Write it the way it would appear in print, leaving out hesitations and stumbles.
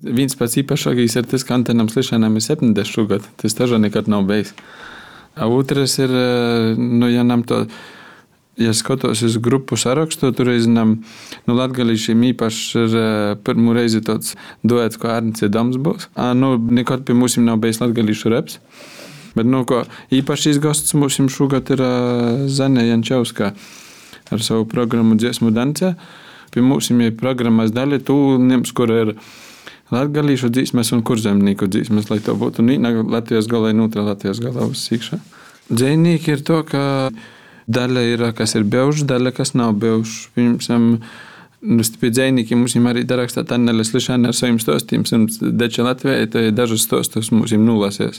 Viens pats īpašākais ir tas, ka Antenam Slišanam ir 70 gadu. Tas tažu nekad nav bijis. Otrs ir, ja nam to, ja skatos uz grupu sarakstu, tur reizinam, latgalīšiem īpaši ir pirmo reizi tāds duets, ko Arnis Dams būs. Nekad pie mums nav bijis latgalīšu reps. Bet, ko īpašīs gosts mums šogad ir Zane Jančevska ar savu programmu Dziesmu dance. Pie mums ir programmas daļa, tūlniems, kur ir latgalīšu dzīsmes un kurzemnieku dzīsmes, lai to būtu Latvijas galā un otrā Latvijas galā uz sīkšā. Dzejnieki ir to, ka daļa ir, kas ir bijuši, daļa, kas nav bijuši. Pie dzejniekiem mums arī darakstāt Annele Slišana ar saviem stostiem, deča Latvijai, to ir dažas stostus mums nolasies.